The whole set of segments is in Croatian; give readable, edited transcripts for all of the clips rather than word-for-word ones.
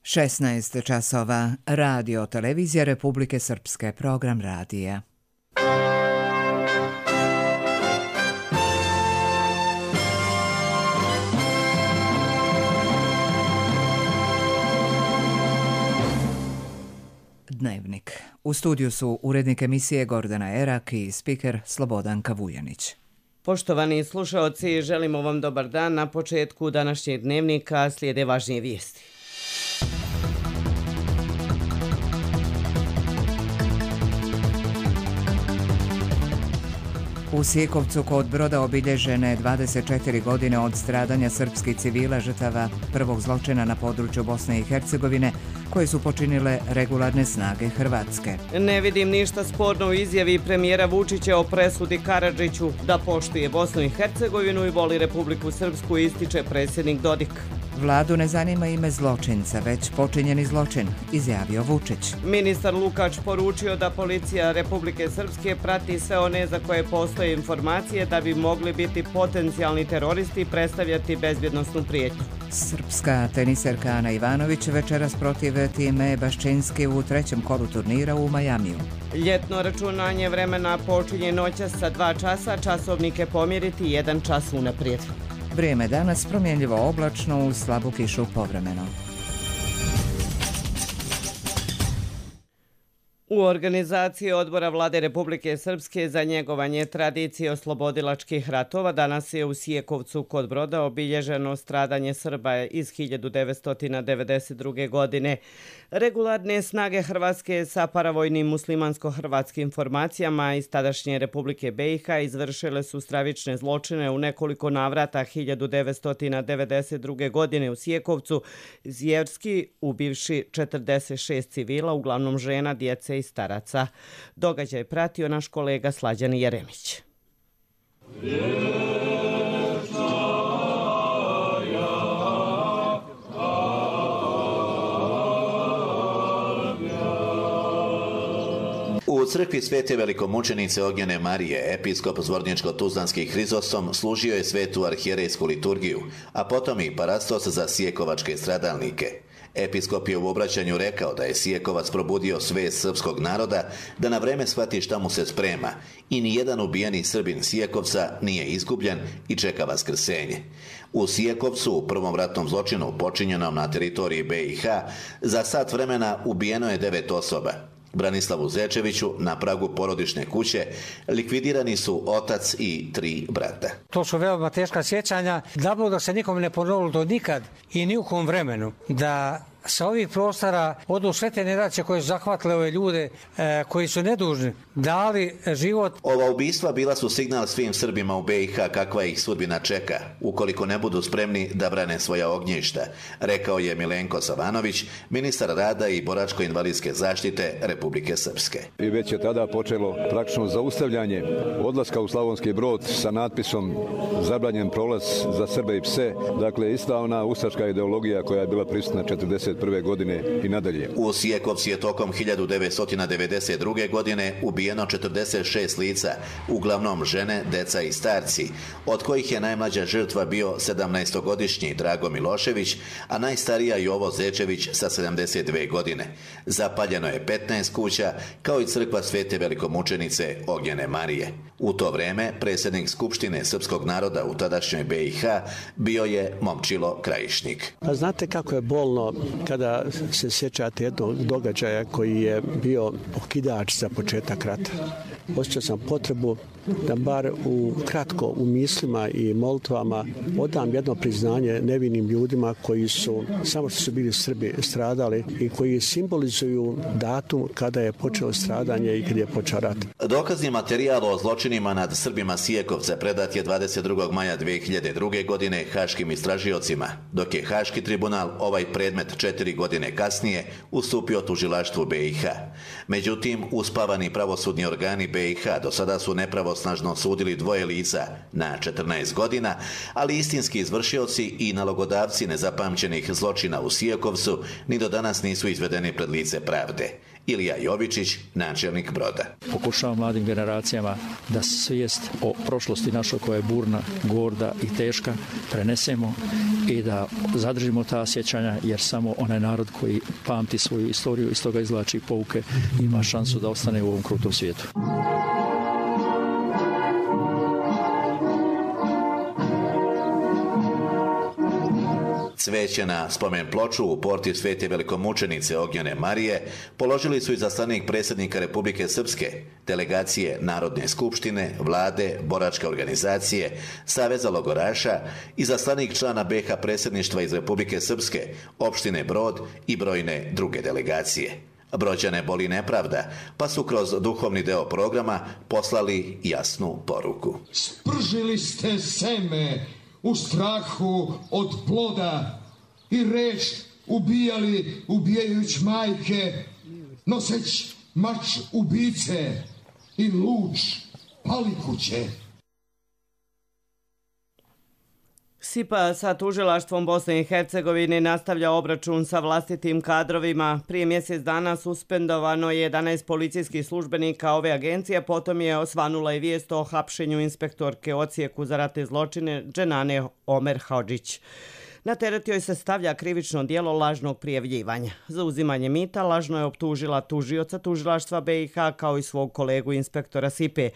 16 časova, radio televizija Republike Srpske, program radija. Dnevnik. U studiju su urednik emisije Gordana Erak i spiker Slobodanka Vujanić. Poštovani slušaoci, želimo vam dobar dan. Na početku današnjeg dnevnika slijede važnije vijesti. U Sijekovcu kod Broda obilježene 24 godine od stradanja srpskih civila žrtava prvog zločina na području Bosne i Hercegovine koje su počinile regularne snage Hrvatske. Ne vidim ništa sporno u izjavi premijera Vučića o presudi Karadžiću da poštuje Bosnu i Hercegovinu i voli Republiku Srpsku, ističe predsjednik Dodik. Vladu ne zanima ime zločinca, već počinjeni zločin, izjavio Vučić. Ministar Lukač poručio da policija Republike Srpske prati sve one za koje postoje informacije da bi mogli biti potencijalni teroristi i predstavljati bezbjednosnu prijetnju. Srpska teniserka Ana Ivanović večeras protiv time Baščinski u trećem kolu turnira u Majamiju. Ljetno računanje vremena počinje noćas sa 2 časa, časovnike pomjeriti 1 čas unaprijed. Vrijeme danas promjenljivo oblačno uz slabu kišu povremeno. U organizaciji Odbora Vlade Republike Srpske za njegovanje tradicije oslobodilačkih ratova danas je u Sijekovcu kod Broda obilježeno stradanje Srba iz 1992. godine. Regularne snage Hrvatske sa paravojnim muslimansko-hrvatskim formacijama iz tadašnje Republike BiH izvršile su stravične zločine u nekoliko navrata 1992. godine u Sijekovcu, zvjerski ubivši 46 civila, uglavnom žena, djece i staraca. Događaj pratio naš kolega Slađan Jeremić. U crkvi Svete velikomučenice Ognjene Marije, episkop Zvorničko-Tuzlanski Hrizosom služio je svetu arhijerejsku liturgiju, a potom i parastos za sijekovačke stradalnike. Episkop je u obraćanju rekao da je Sijekovac probudio svest srpskog naroda da na vreme shvati šta mu se sprema i nijedan ubijeni Srbin Sijekovca nije izgubljen i čeka vaskrsenje. U Sijekovcu, u prvom ratnom zločinu počinjenom na teritoriji BiH, za sat vremena ubijeno je 9 osoba. Branislavu Zečeviću na pragu porodične kuće likvidirani su otac i 3 brata. To su veoma teška sjećanja. Da se nikom ne ponovilo to nikad i ni u kom vremenu da sa ovih prostora odu sve te generacije koje su zahvatile ove ljude koji su nedužni, dali život. Ova ubistva bila su signal svim Srbima u BiH kakva ih sudbina čeka, ukoliko ne budu spremni da brane svoja ognjišta, rekao je Milenko Savanović, ministar rada i boračko-invalidske zaštite Republike Srpske. I već je tada počelo praktično zaustavljanje odlaska u Slavonski Brod sa natpisom zabranjen prolaz za Srbe i pse. Dakle, ista ona ustaška ideologija koja je bila prisutna 1941. godine i nadalje. U Sijekovci je tokom 1992. godine ubijeno 46 lica, uglavnom žene, deca i starci, od kojih je najmlađa žrtva bio 17-godišnji Drago Milošević, a najstarija Jovo Zečević sa 72 godine. Zapaljeno je 15 kuća, kao i crkva Svete velikomučenice Ognjene Marije. U to vreme predsjednik Skupštine srpskog naroda u tadašnjoj BiH bio je Momčilo Krajišnik. A znate kako je bolno kada se sjećate jednog događaja koji je bio okidač za početak rata. Osjećao sam potrebu da bar kratko u mislima i molitvama odam jedno priznanje nevinim ljudima koji su, samo što su bili Srbi, stradali i koji simbolizuju datum kada je počelo stradanje i kada je počeo rat. Dokazni materijal o zločinima nad Srbima Sijekovca predat je 22. maja 2002. godine haškim istražiocima, dok je Haški tribunal ovaj predmet 4 godine kasnije ustupio tužilaštvu BiH. Međutim, uspavani pravosudni organi BiH do sada su nepravosnažno sudili 2 lica na 14 godina, ali istinski izvršioci i nalogodavci nezapamćenih zločina u Sijekovcu ni do danas nisu izvedeni pred lice pravde. Ilija Jovičić, načelnik Broda. Pokušavam mladim generacijama da svijest o prošlosti našoj koja je burna, gorda i teška prenesemo i da zadržimo ta sjećanja, jer samo onaj narod koji pamti svoju istoriju i iz toga izvlači pouke ima šansu da ostane u ovom krutom svijetu. Cveće na spomen ploču u porti Svete velikomučenice Ognjene Marije položili su izaslanik predsjednika Republike Srpske, delegacije Narodne skupštine, vlade, boračke organizacije, Saveza logoraša, izaslanik člana BiH predsjedništva iz Republike Srpske, opštine Brod i brojne druge delegacije. Brođane boli nepravda, pa su kroz duhovni deo programa poslali jasnu poruku. Spržili ste seme u strahu od ploda i reč ubijali ubijajući majke, noseć mač ubice i luč palikuće. SIPA sa tužilaštvom Bosne i Hercegovine nastavlja obračun sa vlastitim kadrovima. Prije mjesec dana suspendovano je 11 policijskih službenika ove agencije, potom je osvanula i vijest o hapšenju inspektorke Ocijeku za ratne zločine Dženane Omer Hodžić. Na teret joj se stavlja krivično djelo lažnog prijavljivanja. Za uzimanje mita lažno je optužila tužioca tužilaštva BiH kao i svog kolegu inspektora SIPE.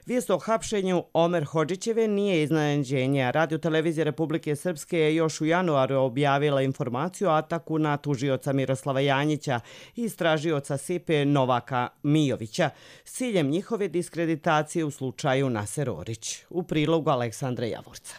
Vijest o hapšenju Omer Hodžićeve nije iznenađenje. Radio-televizija Republike Srpske je još u januaru objavila informaciju o ataku na tužioca Miroslava Janjića i istražioca SIPE Novaka Mijovića s ciljem njihove diskreditacije u slučaju Naser Orić. U prilogu Aleksandra Javorca.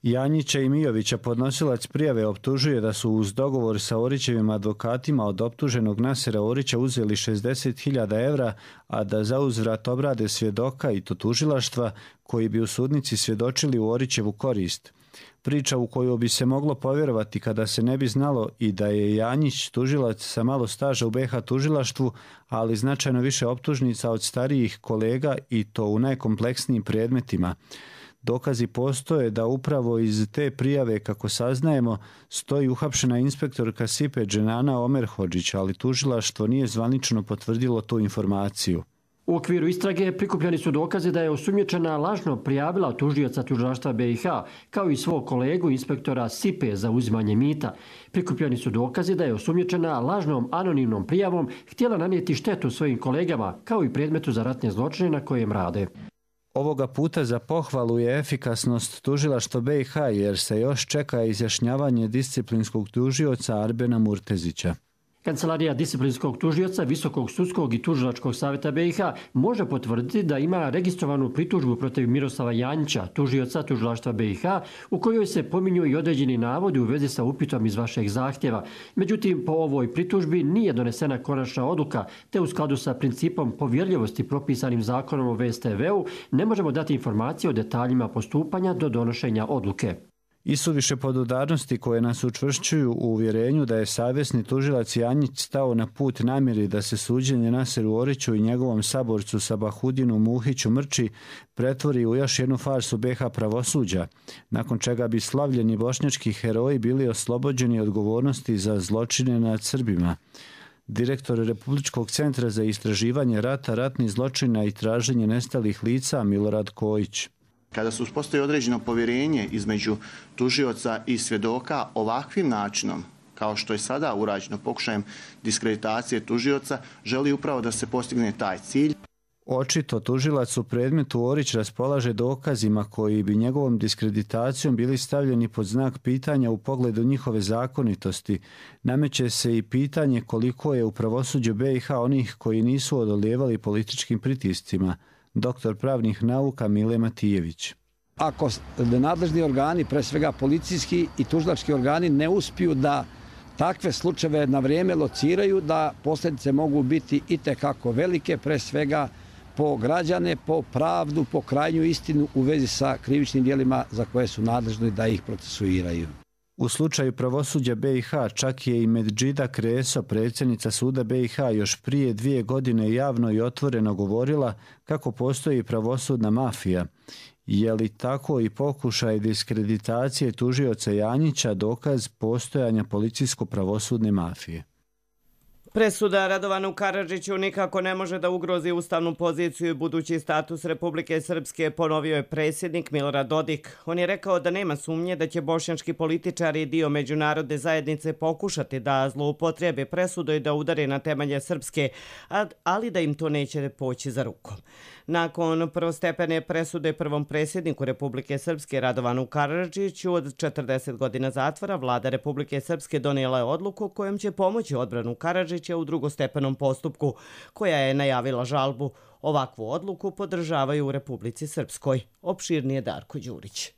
Janjića i Mijovića podnosilac prijave optužuje da su uz dogovor sa Orićevim advokatima od optuženog Nasera Orića uzeli 60.000 evra, a da zauzvrat obrade svjedoka i to tužilaštva koji bi u sudnici svjedočili u Orićevu korist. Priča u koju bi se moglo povjerovati kada se ne bi znalo i da je Janjić tužilac sa malo staža u BiH tužilaštvu, ali značajno više optužnica od starijih kolega i to u najkompleksnijim predmetima. Dokazi postoje da upravo iz te prijave, kako saznajemo, stoji uhapšena inspektorka SIPE Dženana Omer Hodžić, ali tužilaštvo nije zvanično potvrdilo tu informaciju. U okviru istrage prikupljeni su dokazi da je osumnjičena lažno prijavila tužioca tužilaštva BiH, kao i svog kolegu inspektora SIPE za uzimanje mita. Prikupljeni su dokazi da je osumnjičena lažnom anonimnom prijavom htjela nanijeti štetu svojim kolegama, kao i predmetu za ratne zločine na kojem rade. Ovoga puta za pohvalu je efikasnost tužilaštva BiH, jer se još čeka izjašnjavanje disciplinskog tužioca Arbena Murtezića. Kancelarija disciplinskog tužioca Visokog sudskog i tužilačkog savjeta BiH može potvrditi da ima registrovanu pritužbu protiv Miroslava Janjića, tužioca tužilaštva BiH, u kojoj se pominju i određeni navodi u vezi sa upitom iz vašeg zahtjeva. Međutim, po ovoj pritužbi nije donesena konačna odluka, te u skladu sa principom povjerljivosti propisanim zakonom o VSTV-u ne možemo dati informacije o detaljima postupanja do donošenja odluke. I su više podudarnosti koje nas učvršćuju u uvjerenju da je savjesni tužilac Janjić stao na put namjeri da se suđenje Naseru Oriću i njegovom saborcu Sabahudinu Muhiću Mrči pretvori u još jednu farsu BiH pravosuđa, nakon čega bi slavljeni bošnjački heroji bili oslobođeni odgovornosti za zločine nad Srbima. Direktor Republičkog centra za istraživanje rata, ratnih zločina i traženje nestalih lica Milorad Kojić. Kada se uspostavi određeno povjerenje između tužioca i svjedoka ovakvim načinom, kao što je sada urađeno pokušajem diskreditacije tužioca, želi upravo da se postigne taj cilj. Očito tužilac u predmetu Orić raspolaže dokazima koji bi njegovom diskreditacijom bili stavljeni pod znak pitanja u pogledu njihove zakonitosti. Nameće se i pitanje koliko je u pravosuđu BiH onih koji nisu odolijevali političkim pritiscima. Doktor pravnih nauka Mile Matijević. Ako nadležni organi, pre svega policijski i tužilački organi, ne uspiju da takve slučajeve na vrijeme lociraju, da posljedice mogu biti itekako velike, pre svega po građane, po pravdu, po krajnju istinu u vezi sa krivičnim djelima za koje su nadležni da ih procesuiraju. U slučaju pravosuđa BiH čak je i Medžida Kreso, predsjednica suda BiH, još prije 2 godine javno i otvoreno govorila kako postoji pravosudna mafija. Je li tako i pokušaj diskreditacije tužioca Janjića dokaz postojanja policijsko-pravosudne mafije? Presuda Radovanu Karadžiću nikako ne može da ugrozi ustavnu poziciju i budući status Republike Srpske, ponovio je predsjednik Milorad Dodik. On je rekao da nema sumnje da će bošnjački političari i dio međunarodne zajednice pokušati da zloupotrijebe presudu i da udare na temelje Srpske, ali da im to neće poći za rukom. Nakon prvostepene presude prvom predsjedniku Republike Srpske Radovanu Karadžiću od 40 godina zatvora, vlada Republike Srpske donijela je odluku kojom će pomoći odbranu Karadžića u drugostepenom postupku, koja je najavila žalbu. Ovakvu odluku podržavaju u Republici Srpskoj. Opširnije Darko Đurić.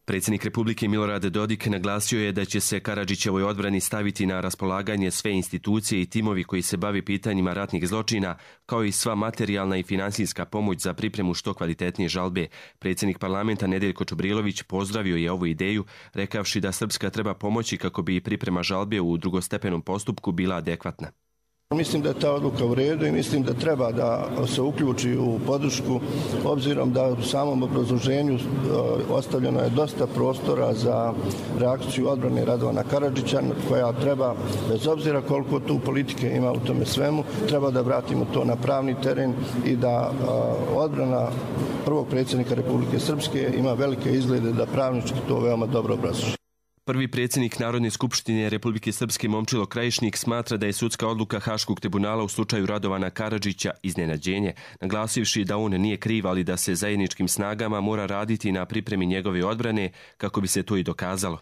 Predsjednik Republike Milorad Dodik naglasio je da će se Karadžićevoj odbrani staviti na raspolaganje sve institucije i timovi koji se bavi pitanjima ratnih zločina, kao i sva materijalna i finansijska pomoć za pripremu što kvalitetnije žalbe. Predsjednik parlamenta Nedeljko Čubrilović pozdravio je ovu ideju, rekavši da Srpska treba pomoći kako bi priprema žalbe u drugostepenom postupku bila adekvatna. Mislim da je ta odluka u redu i mislim da treba da se uključi u podršku, obzirom da u samom obrazloženju ostavljeno je dosta prostora za reakciju odbrane Radovana Karadžića, koja treba, bez obzira koliko tu politike ima u tome svemu, treba da vratimo to na pravni teren i da odbrana prvog predsjednika Republike Srpske ima velike izglede da pravnički to veoma dobro obrazloži. Prvi predsjednik Narodne skupštine Republike Srpske Momčilo Krajišnik smatra da je sudska odluka Haškog tribunala u slučaju Radovana Karadžića iznenađenje, naglasivši da on nije kriv, ali da se zajedničkim snagama mora raditi na pripremi njegove odbrane kako bi se to i dokazalo.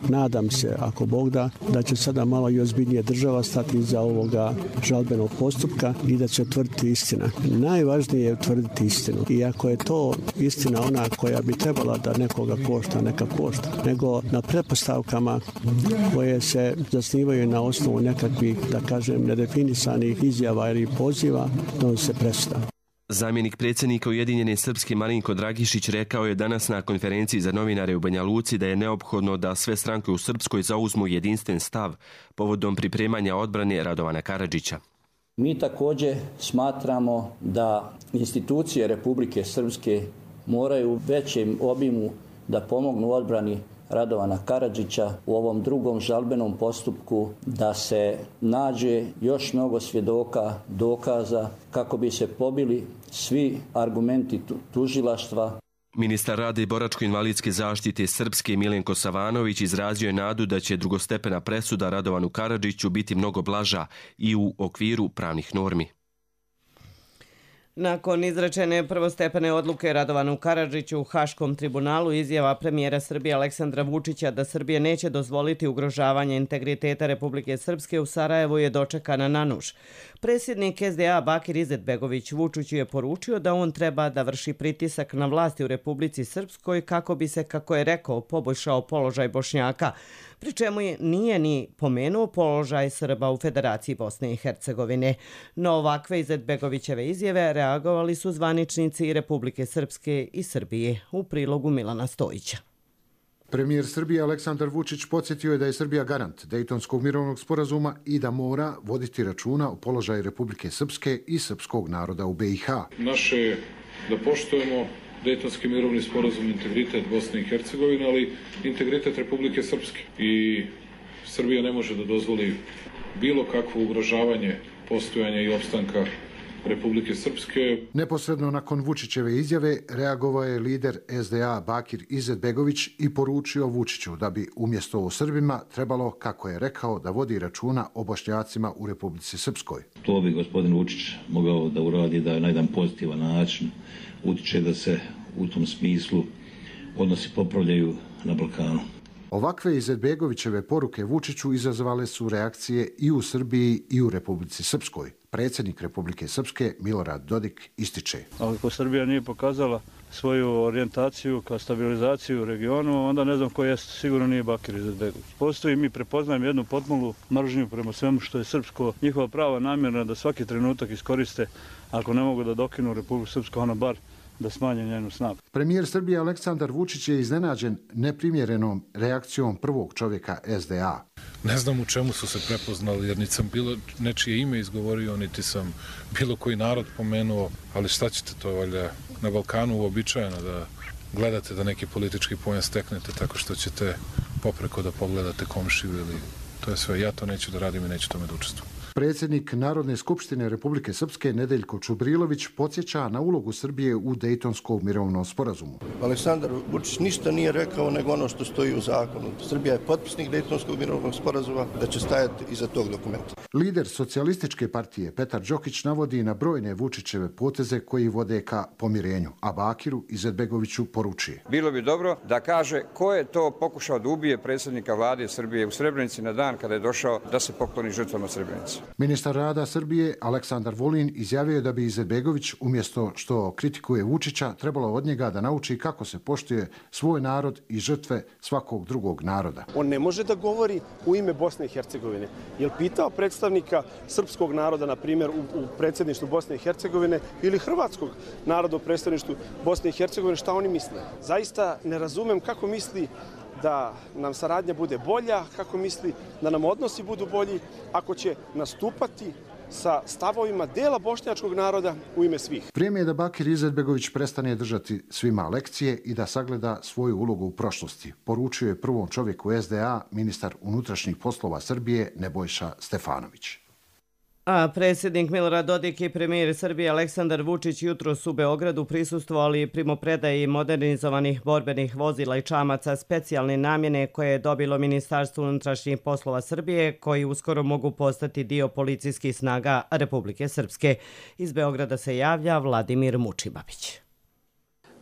Nadam se, ako Bog da će sada malo i ozbiljnije država stati iza ovoga žalbenog postupka i da će utvrditi istina. Najvažnije je utvrditi istinu. I ako je to istina ona koja bi trebala da nekoga košta, neka košta, nego na pretpostavkama koje se zasnivaju na osnovu nekakvih, da kažem, nedefinisanih izjava ili poziva, donosi se presuda. Zamjenik predsjednika Ujedinjene Srpske Marinko Dragišić rekao je danas na konferenciji za novinare u Banja Luci da je neophodno da sve stranke u Srpskoj zauzmu jedinstven stav povodom pripremanja odbrane Radovana Karadžića. Mi također smatramo da institucije Republike Srpske moraju u većem obimu da pomognu odbrani Radovana Karadžića u ovom drugom žalbenom postupku, da se nađe još mnogo svjedoka, dokaza kako bi se pobili svi argumenti tužilaštva. Ministar rada i boračko-invalidske zaštite Srpske Milenko Savanović izrazio je nadu da će drugostepena presuda Radovanu Karadžiću biti mnogo blaža i u okviru pravnih normi. Nakon izrečene prvostepene odluke Radovanu Karadžiću u Haškom tribunalu, izjava premijera Srbije Aleksandra Vučića da Srbija neće dozvoliti ugrožavanje integriteta Republike Srpske u Sarajevu je dočekana na nuž. Predsjednik SDA Bakir Izetbegović Vučiću je poručio da on treba da vrši pritisak na vlasti u Republici Srpskoj kako bi se, kako je rekao, poboljšao položaj Bošnjaka, pri čemu nije ni pomenuo položaj Srba u Federaciji Bosne i Hercegovine. No ovakve Izetbegovićeve izjave reagovali su zvaničnici i Republike Srpske i Srbije. U prilogu Milana Stojića. Premijer Srbije Aleksandar Vučić podsjetio je da je Srbija garant Dejtonskog mirovnog sporazuma i da mora voditi računa o položaju Republike Srpske i srpskog naroda u BiH. Naše je da poštujemo Dejtonski mirovni sporazum, integritet Bosne i Hercegovine, ali integritet Republike Srpske. I Srbija ne može da dozvoli bilo kakvo ugrožavanje postojanja i opstanka Republike Srpske. Neposredno nakon Vučićeve izjave reagovao je lider SDA Bakir Izetbegović i poručio Vučiću da bi umjesto o Srbima trebalo, kako je rekao, da vodi računa o Bošnjacima u Republici Srpskoj. To bi gospodin Vučić mogao da uradi da na jedan pozitivan način utiče da se u tom smislu odnosi popravljaju na Balkanu. Ovakve Izetbegovićeve poruke Vučiću izazvale su reakcije i u Srbiji i u Republici Srpskoj. Predsjednik Republike Srpske Milorad Dodik ističe. Ako Srbija nije pokazala svoju orijentaciju ka stabilizaciju u regionu, onda ne znam ko je, sigurno nije Bakir Izetbegović. Postoji, mi prepoznajemo jednu potmulu mržnju prema svemu što je srpsko, njihova prava namjerna da svaki trenutak iskoriste, ako ne mogu da dokinu Republiku Srpsku, ona bar da smanje njenu snagu. Premijer Srbije Aleksandar Vučić je iznenađen neprimjerenom reakcijom prvog čovjeka SDA. Ne znam u čemu su se prepoznali, jer niti sam bilo nečije ime izgovorio, niti sam bilo koji narod pomenuo, ali šta ćete to, valjda, na Balkanu uobičajeno da gledate da neki politički poen steknete tako što ćete popreko da pogledate komšiju ili to je sve. Ja to neću da radim i neću tome da učestvujem. Predsjednik Narodne skupštine Republike Srpske Nedeljko Čubrilović podsjeća na ulogu Srbije u Dejtonskom mirovnom sporazumu. Aleksandar Vučić ništa nije rekao nego ono što stoji u zakonu. Srbija je potpisnik Dejtonskog mirovnog sporazuma, da će stajati iza tog dokumenta. Lider socijalističke partije Petar Đokić navodi na brojne Vučićeve poteze koji vode ka pomirenju, a Bakiru Izetbegoviću poručuje. Bilo bi dobro da kaže ko je to pokušao da ubije predsjednika vlade Srbije u Srebrenici na dan kada je došao da se pokloni žrtvama Srebrenice. Ministar rada Srbije Aleksandar Vulin izjavio je da bi Izetbegović umjesto što kritikuje Vučića trebalo od njega da nauči kako se poštuje svoj narod i žrtve svakog drugog naroda. On ne može da govori u ime Bosne i Hercegovine. Je li pitao predstavnika srpskog naroda, na primjer, u predsjedništvu Bosne i Hercegovine ili hrvatskog naroda u predstavništvu Bosne i Hercegovine šta oni misle? Zaista ne razumem kako misli da nam saradnja bude bolja, kako misli da nam odnosi budu bolji, ako će nastupati sa stavovima dela bošnjačkog naroda u ime svih. Vrijeme je da Bakir Izetbegović prestane držati svima lekcije i da sagleda svoju ulogu u prošlosti, poručio je prvom čovjeku SDA ministar unutrašnjih poslova Srbije Nebojša Stefanović. A predsjednik Milorad Dodik i premijer Srbije Aleksandar Vučić jutros u Beogradu prisustvovali primopredaji modernizovanih borbenih vozila i čamaca specijalne namjene koje je dobilo Ministarstvo unutrašnjih poslova Srbije, koji uskoro mogu postati dio policijskih snaga Republike Srpske. Iz Beograda se javlja Vladimir Mučibabić.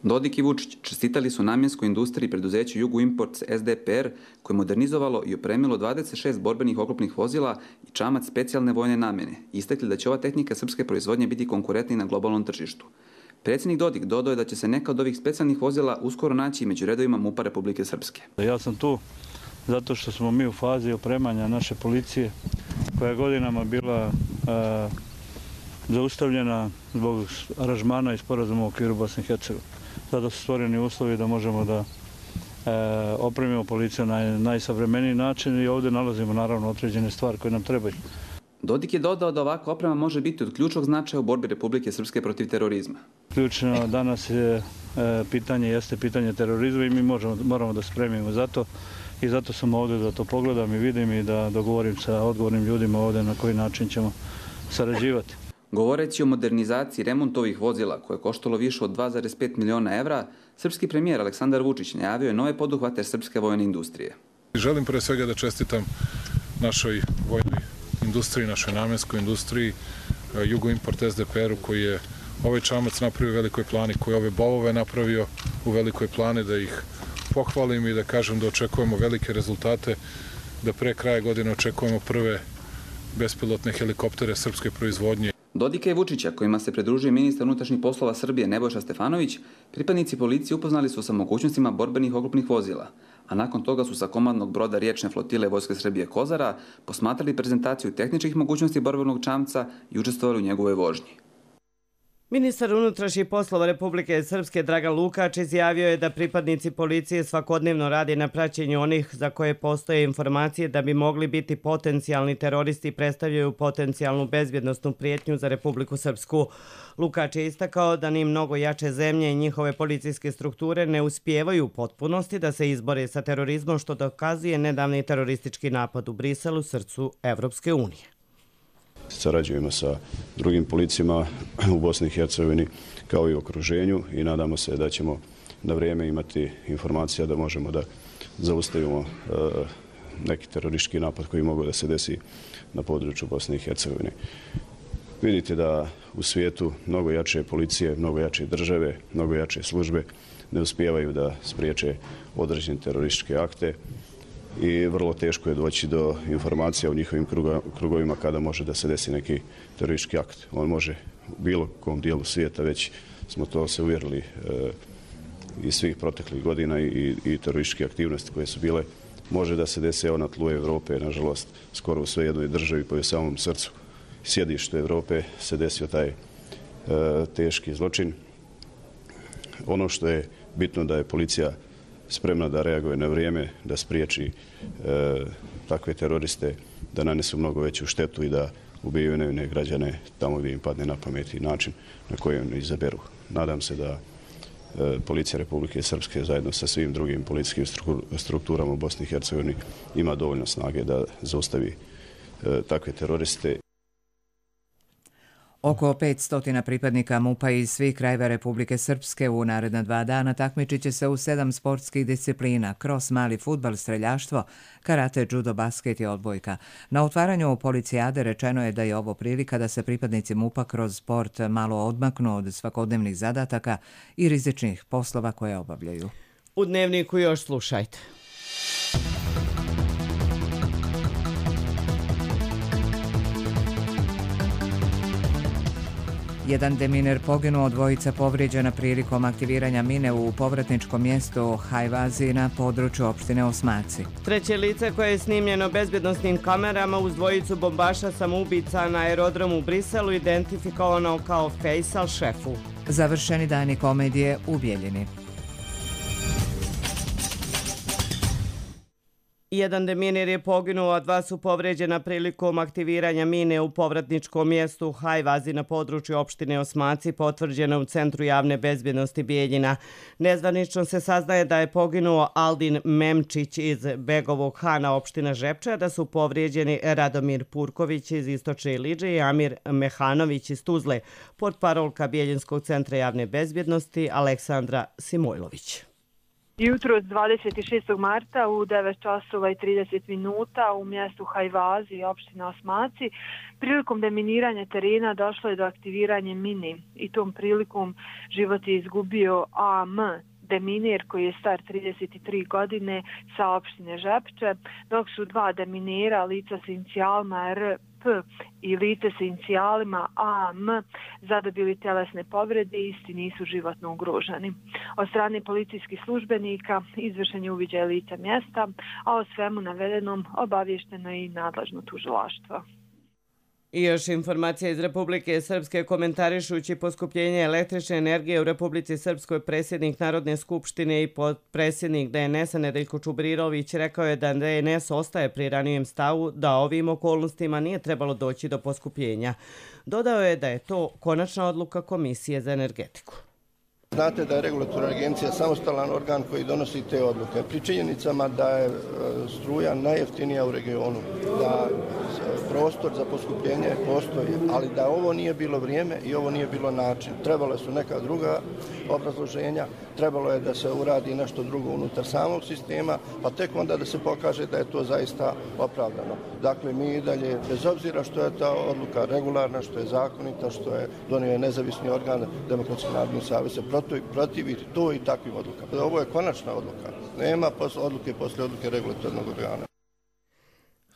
Dodik i Vučić čestitali su namjenskoj industriji preduzeću Jugoimport SDPR koje je modernizovalo i opremilo 26 borbenih oklopnih vozila i čamac specijalne vojne namjene. Istakli da će ova tehnika srpske proizvodnje biti konkurentna na globalnom tržištu. Predsjednik Dodik dodao je da će se neka od ovih specijalnih vozila uskoro naći među redovima MUP-a Republike Srpske. Ja sam tu zato što smo mi u fazi opremanja naše policije koja je godinama bila zaustavljena zbog aranžmana i sporazuma u okviru Bosne i Hercegovine. Sada su stvoreni uslovi da možemo da opremimo policiju na najsavremeniji način i ovdje nalazimo naravno određene stvari koje nam trebaju. Dodik je dodao da ovakva oprema može biti od ključnog značaja u borbi Republike Srpske protiv terorizma. Ključno danas je pitanje terorizma i mi moramo da spremimo za to i zato sam ovdje da to pogledam i vidim i da dogovorim sa odgovornim ljudima ovdje na koji način ćemo sarađivati. Govoreći o modernizaciji remontu ovih vozila koje je koštalo više od 2,5 miliona evra, srpski premijer Aleksandar Vučić najavio je nove poduhvate srpske vojne industrije. Želim pre svega da čestitam našoj vojnoj industriji, našoj namjenskoj industriji, Jugoimport SDPR-u koji je ovaj čamac napravio u Velikoj Plani, koji je ove bolove napravio u Velikoj Plani, da ih pohvalim i da kažem da očekujemo velike rezultate, da pre kraja godine očekujemo prve bespilotne helikoptere srpske proizvodnje. Dodika i Vučića, kojima se pridružuje ministar unutrašnjih poslova Srbije Nebojša Stefanović, pripadnici policije upoznali su sa mogućnostima borbenih oklopnih vozila, a nakon toga su sa komandnog broda riječne flotile Vojske Srbije Kozara posmatrali prezentaciju tehničkih mogućnosti borbenog čamca i učestvovali u njegovoj vožnji. Ministar unutrašnjih poslova Republike Srpske Dragan Lukač izjavio je da pripadnici policije svakodnevno rade na praćenju onih za koje postoje informacije da bi mogli biti potencijalni teroristi i predstavljaju potencijalnu bezbjednosnu prijetnju za Republiku Srpsku. Lukač je istakao da ni mnogo jače zemlje i njihove policijske strukture ne uspijevaju u potpunosti da se izbore sa terorizmom, što dokazuje nedavni teroristički napad u Briselu, srcu Evropske unije. Sarađujemo sa drugim policijama u Bosni i Hercegovini kao i u okruženju i nadamo se da ćemo na vrijeme imati informacija da možemo da zaustavimo neki teroristički napad koji mogu da se desi na području Bosne i Hercegovine. Vidite da u svijetu mnogo jače policije, mnogo jače države, mnogo jače službe ne uspijevaju da spriječe određene terorističke akte i vrlo teško je doći do informacija u njihovim krugovima kada može da se desi neki teroristički akt. On može u bilo kom dijelu svijeta, već smo to se uvjerili iz svih proteklih godina i terorističke aktivnosti koje su bile, može da se desi na tlu Evrope, nažalost, skoro u sve jednoj državi po samom srcu sjedištu Evrope se desio taj teški zločin. Ono što je bitno da je policija spremna da reaguje na vrijeme, da spriječi takve teroriste, da nanesu mnogo veću štetu i da ubijaju nevine građane tamo gdje im padne na pamet i način na koji oni izaberu. Nadam se da Policija Republike Srpske zajedno sa svim drugim policijskim strukturama u Bosni i Hercegovini ima dovoljno snage da zaustavi takve teroriste. Oko 500 pripadnika MUP-a iz svih krajeva Republike Srpske u naredna 2 dana takmičit će se u 7 sportskih disciplina: kros, mali fudbal, streljaštvo, karate, judo, basket i odbojka. Na otvaranju policijade rečeno je da je ovo prilika da se pripadnici MUP-a kroz sport malo odmaknu od svakodnevnih zadataka i rizičnih poslova koje obavljaju. U Dnevniku još slušajte. Jedan deminer poginuo, 2 povrijeđena prilikom aktiviranja mine u povratničkom mjestu Hajvazi na području opštine Osmaci. 3. lice koje je snimljeno bezbjednosnim kamerama uz 2 bombaša samoubica na aerodromu u Briselu identifikovano kao Faisal Šefu. Završeni dani komedije u Bijeljini. Jedan deminer je poginuo, a 2 su povrijeđena prilikom aktiviranja mine u povratničkom mjestu Hajvazi na području opštine Osmaci, potvrđeno u Centru javne bezbjednosti Bijeljina. Nezvanično se saznaje da je poginuo Aldin Memčić iz Begovog Hana, opština Žepča, da su povrijeđeni Radomir Purković iz Istočne Iliđe i Amir Mehanović iz Tuzle, portparolka Bijeljinskog centra javne bezbjednosti Aleksandra Simojlović. Jutro od 26. marta u 9 časova i 30 minuta u mjestu Hajvazi, opština Osmaci, prilikom deminiranja terena došlo je do aktiviranja mini i tom prilikom život je izgubio AM deminer koji je star 33 godine sa opštine Žepče, dok su 2 deminera, lica sa inicijalima RP i lice sa inicijalima AM, zadobili telesne povrede i isti nisu životno ugroženi. Od strane policijskih službenika izvršen je uviđaj lica mjesta, a o svemu navedenom obavješteno je i nadležno tužilaštvo. I još informacija iz Republike Srpske. Komentarišući poskupljenje električne energije u Republici Srpskoj, predsjednik Narodne skupštine i potpredsjednik DNS-a Nedeljko Čubrirović rekao je da DNS ostaje pri ranijem stavu da ovim okolnostima nije trebalo doći do poskupljenja. Dodao je da je to konačna odluka Komisije za energetiku. Znate da je regulatorna agencija samostalan organ koji donosi te odluke. Pri činjenicama da je struja najjeftinija u regionu, da prostor za poskupljenje postoji, ali da ovo nije bilo vrijeme i ovo nije bilo način. Trebale su neka druga obrazloženja, trebalo je da se uradi nešto drugo unutar samog sistema, pa tek onda da se pokaže da je to zaista opravdano. Dakle, mi i dalje, bez obzira što je ta odluka regularna, što je zakonita, što je donio nezavisni organ Demokratski narodni savez, se protiviti to i takvim odlukama. Ovo je konačna odluka. Nema odluke posle odluke regulatornog organa.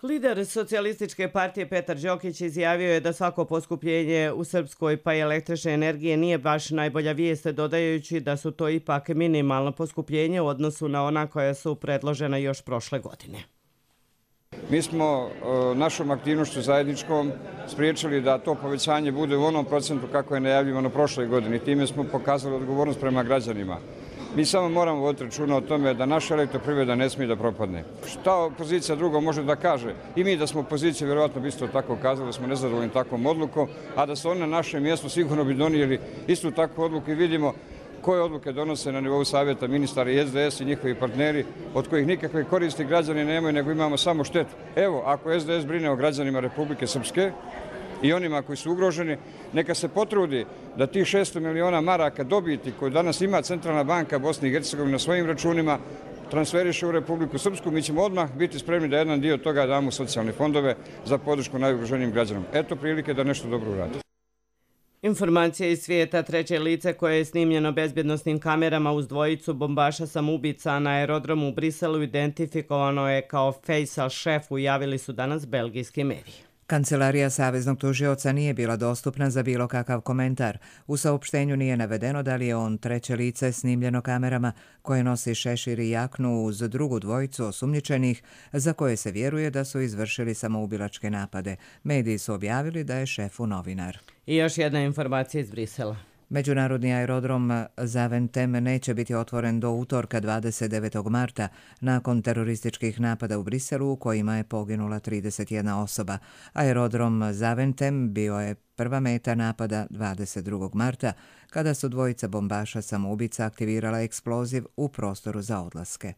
Lider Socijalističke partije Petar Đokić izjavio je da svako poskupljenje u Srpskoj pa i električne energije nije baš najbolja vijest, dodajući da su to ipak minimalno poskupljenje u odnosu na ona koja su predložena još prošle godine. Mi smo našom aktivnošću zajedničkom spriječili da to povećanje bude u onom procentu kako je najavljivano prošle godine. Time smo pokazali odgovornost prema građanima. Mi samo moramo voditi računa o tome da naša elektroprivreda ne smije da propadne. Šta opozicija drugo može da kaže? I mi da smo opozicija vjerovatno bi isto tako kazali da smo nezadovoljni takvom odlukom, a da su oni na našem mjestu sigurno bi donijeli istu takvu odluku i vidimo koje odluke donose na nivou savjeta ministara i SDS i njihovi partneri, od kojih nikakve koristi građani nemaju, nego imamo samo štetu. Evo, ako SDS brine o građanima Republike Srpske i onima koji su ugroženi, neka se potrudi da tih 600 miliona maraka dobiti koju danas ima Centralna banka Bosne i Hercegovine na svojim računima transferiše u Republiku Srpsku. Mi ćemo odmah biti spremni da jedan dio toga damo u socijalne fondove za podršku najugroženijim građanima. Eto prilike da nešto dobro uradi. Informacija iz svijeta. 3. lice koje je snimljeno bezbjednosnim kamerama uz 2 bombaša samoubica na aerodromu u Briselu identifikovano je kao Faisal Šefu, javili su danas belgijski mediji. Kancelarija Saveznog tužioca nije bila dostupna za bilo kakav komentar. U saopštenju nije navedeno da li je on 3. lice snimljeno kamerama koje nosi šešir i jaknu uz drugu 2 osumnjičenih za koje se vjeruje da su izvršili samoubilačke napade. Mediji su objavili da je Šefu novinar. I još jedna informacija iz Brisela. Međunarodni aerodrom Zaventem neće biti otvoren do utorka 29. marta nakon terorističkih napada u Briselu u kojima je poginula 31 osoba. Aerodrom Zaventem bio je prva meta napada 22. marta kada su 2 bombaša samoubica aktivirala eksploziv u prostoru za odlaske.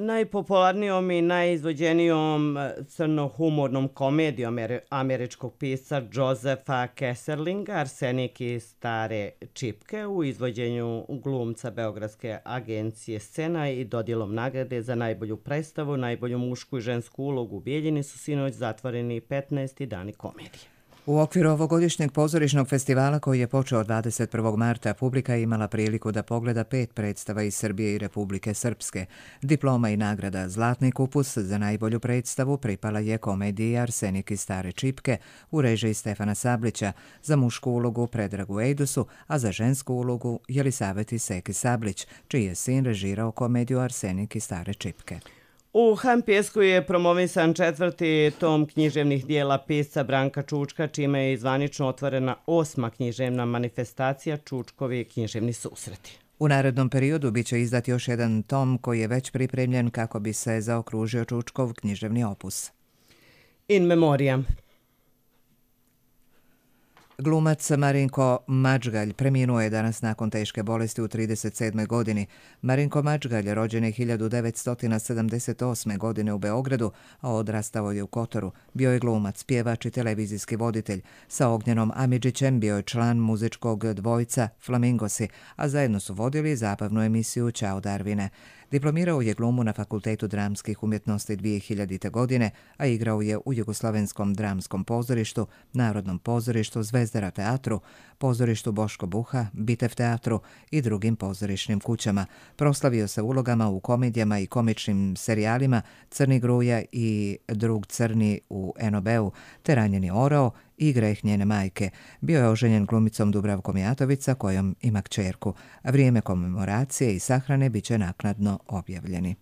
Najpopularnijom i najizvođenijom crnohumornom komedijom američkog pisca Josepha Kesserlinga Arsenik i stare čipke u izvođenju glumca Beogradske agencije Scena i dodjelom nagrade za najbolju predstavu, najbolju mušku i žensku ulogu u Bijeljini su sinoć zatvoreni 15. dani komedije. U okviru ovogodišnjeg pozorišnog festivala koji je počeo 21. marta, publika je imala priliku da pogleda 5 predstava iz Srbije i Republike Srpske. Diploma i nagrada Zlatni kupus za najbolju predstavu pripala je komediji Arsenik i stare čipke u režiji Stefana Sablića, za mušku ulogu Predragu Ejdusu, a za žensku ulogu Jelisaveti Seki Sablić, čiji je sin režirao komediju Arsenik i stare čipke. U Hampjesku je promovisan 4. tom književnih dijela pisca Branka Čučka, čime je zvanično otvorena 8. književna manifestacija Čučkovi književni susreti. U narednom periodu biće izdat još jedan tom koji je već pripremljen kako bi se zaokružio Čučkov književni opus. In memoriam. Glumac Marinko Mačgalj preminuo je danas nakon teške bolesti u 37. godini. Marinko Mačgalj rođen je 1978. godine u Beogradu, a odrastao je u Kotoru. Bio je glumac, pjevač i televizijski voditelj. Sa Ognjenom Amidžićem bio je član muzičkog dvojca Flamingosi, a zajedno su vodili zabavnu emisiju Ćao Darvine. Diplomirao je glumu na Fakultetu dramskih umjetnosti 2000. godine, a igrao je u Jugoslavenskom dramskom pozorištu, Narodnom pozorištu, Zvezdara teatru, pozorištu Boško Buha, Bitev teatru i drugim pozorišnim kućama. Proslavio se ulogama u komedijama i komičnim serijalima Crni gruja i Drug crni u NOB-u, te Ranjeni orao i Greh njene majke. Bio je oženjen glumicom Dubravkom Jatovica, kojom ima kćerku. Vrijeme komemoracije i sahrane biće naknadno objavljeni.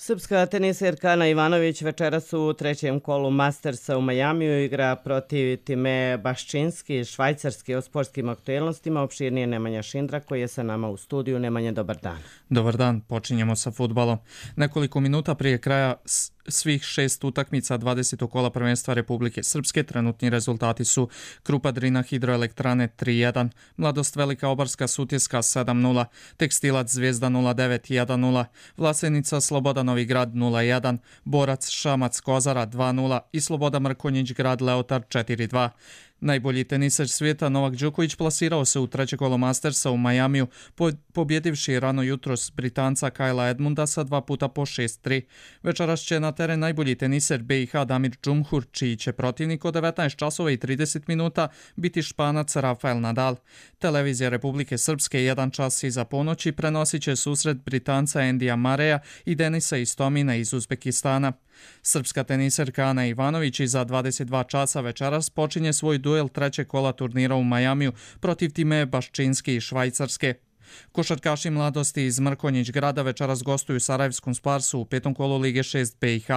Srpska teniserka Ana Ivanović večeras u trećem kolu Mastersa u Majamiju igra protiv Time Baščinski, švajcarski. O sportskim aktuelnostima opširnije Nemanja Šindra koji je sa nama u studiju. Nemanja, dobar dan. Dobar dan, počinjemo sa fudbalom. Nekoliko minuta prije kraja svih 6 utakmica 20. kola prvenstva Republike Srpske trenutni rezultati su: Krupa Drina Hidroelektrane 3-1, Mladost Velika Obarska Sutjeska 7-0, Tekstilac Zvijezda 0-9 1-0, Vlasenica Sloboda Novi Grad 0-1, Borac Šamac Kozara 2-0 i Sloboda Mrkonjić Grad Leotar 4-2. Najbolji teniser svijeta Novak Đoković plasirao se u treće kolo Mastersa u Majamiju, pobjedivši rano jutros Britanca Kajla Edmunda sa 2 puta po 6-3. Večeras će na teren najbolji teniser BiH Damir Džumhur, čiji će protivnik od 19 časova i 30 minuta biti Španac Rafael Nadal. Televizija Republike Srpske 1 čas iza ponoći prenosit će susret Britanca Endija Mareja i Denisa Istomina iz Uzbekistana. Srpska teniserka Ana Ivanović iza 22 časa večeras počinje svoj duel trećeg kola turnira u Majamiju protiv Time Baščinski iz Švajcarske. Košarkaši Mladosti iz Mrkonjić Grada večeras gostuju Sarajevskom Sparsu u 5. kolu Lige 6 BiH.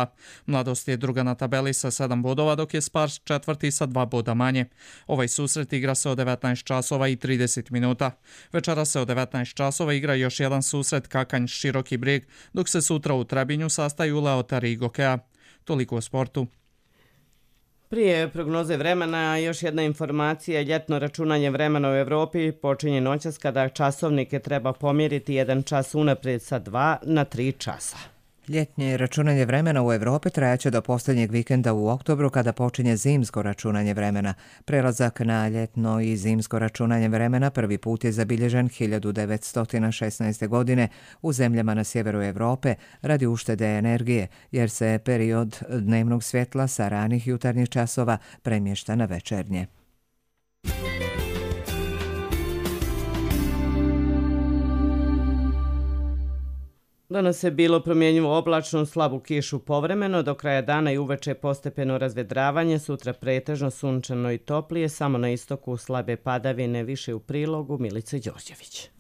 Mladost je druga na tabeli sa 7 bodova, dok je Spars četvrti sa 2 boda manje. Ovaj susret igra se od 19 časova i 30 minuta. Večeras se od 19 časova igra još jedan susret Kakanj Široki Brijeg, dok se sutra u Trebinju sastaju Leotar i Gokea. Toliko o sportu. Prije prognoze vremena, još jedna informacija. Ljetno računanje vremena u Evropi počinje noćas kada časovnike treba pomjeriti 1 čas unaprijed sa 2 na 3 časa. Ljetnje računanje vremena u Evropi trajaće do posljednjeg vikenda u oktobru kada počinje zimsko računanje vremena. Prelazak na ljetno i zimsko računanje vremena prvi put je zabilježen 1916. godine u zemljama na sjeveru Evrope radi uštede energije, jer se period dnevnog svjetla sa ranih jutarnjih časova premješta na večernje. Danas je bilo promjenjivo oblačno, slabu kišu povremeno, do kraja dana i uveče postepeno razvedravanje, sutra pretežno sunčano i toplije, samo na istoku slabe padavine, više u Prilogu Milica Đorđević.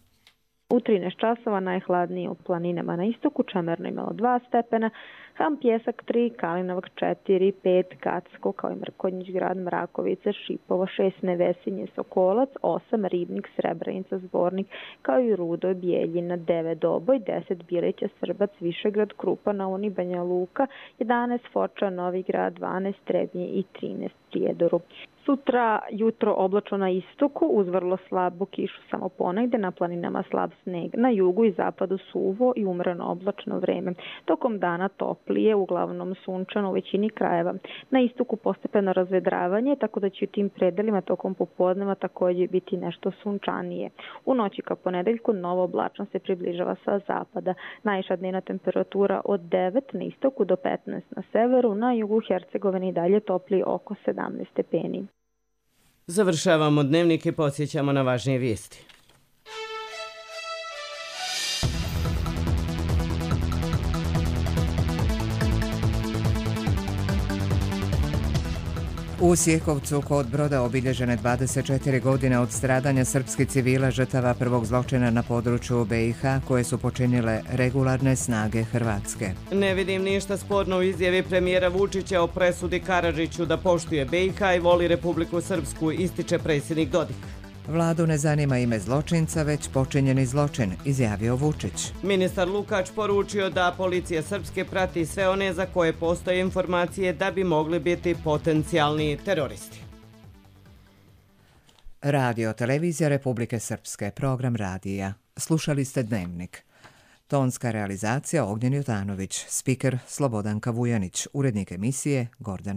U 13 časova najhladnije u planinama na istoku, Čemerno imalo 2 stepena, Ham Pjesak 3, Kalinovac 4, 5, Gacko, kao i Mrkonjić Grad, Mrakovica, Šipovo 6, Nevesinje, Sokolac 8, Ribnik, Srebrenica, Zvornik, kao i Rudo, Bijeljina 9, Doboj 10, Bileća, Srbac, Višegrad, Krupa, na Uni, Banja Luka 11, Foča, Novi Grad 12, Trebnje i 13, Prijedoru. Sutra jutro oblačno na istoku, uz vrlo slabu kišu samo ponegde, na planinama slab sneg, na jugu i zapadu suvo i umreno oblačno vreme. Tokom dana toplije, uglavnom sunčano u većini krajeva. Na istoku postepeno razvedravanje, tako da će u tim predelima tokom popodneva također biti nešto sunčanije. U noći ka ponedeljku novo oblačno se približava sa zapada. Najviša dnevna temperatura od 9 na istoku do 15 na severu, na jugu Hercegovine i dalje toplije oko 17 stepeni. Završavamo dnevnik i podsjećamo na važnije vijesti. U Sjekovcu kod Broda obilježene 24 godine od stradanja srpskih civila žrtava prvog zločina na području BiH koje su počinile regularne snage Hrvatske. Ne vidim ništa sporno u izjavi premijera Vučića o presudi Karadžiću da poštuje BiH i voli Republiku Srpsku, ističe predsjednik Dodik. Vladu ne zanima ime zločinca, već počinjeni zločin, izjavio Vučić. Ministar Lukač poručio da policija Srpske prati sve one za koje postoje informacije da bi mogli biti potencijalni teroristi. Radio Televizija Republike Srpske, program radija. Slušali ste Dnevnik. Tonska realizacija Ognjen Jotanović, spiker Slobodanka Vujanić, urednik emisije Gordana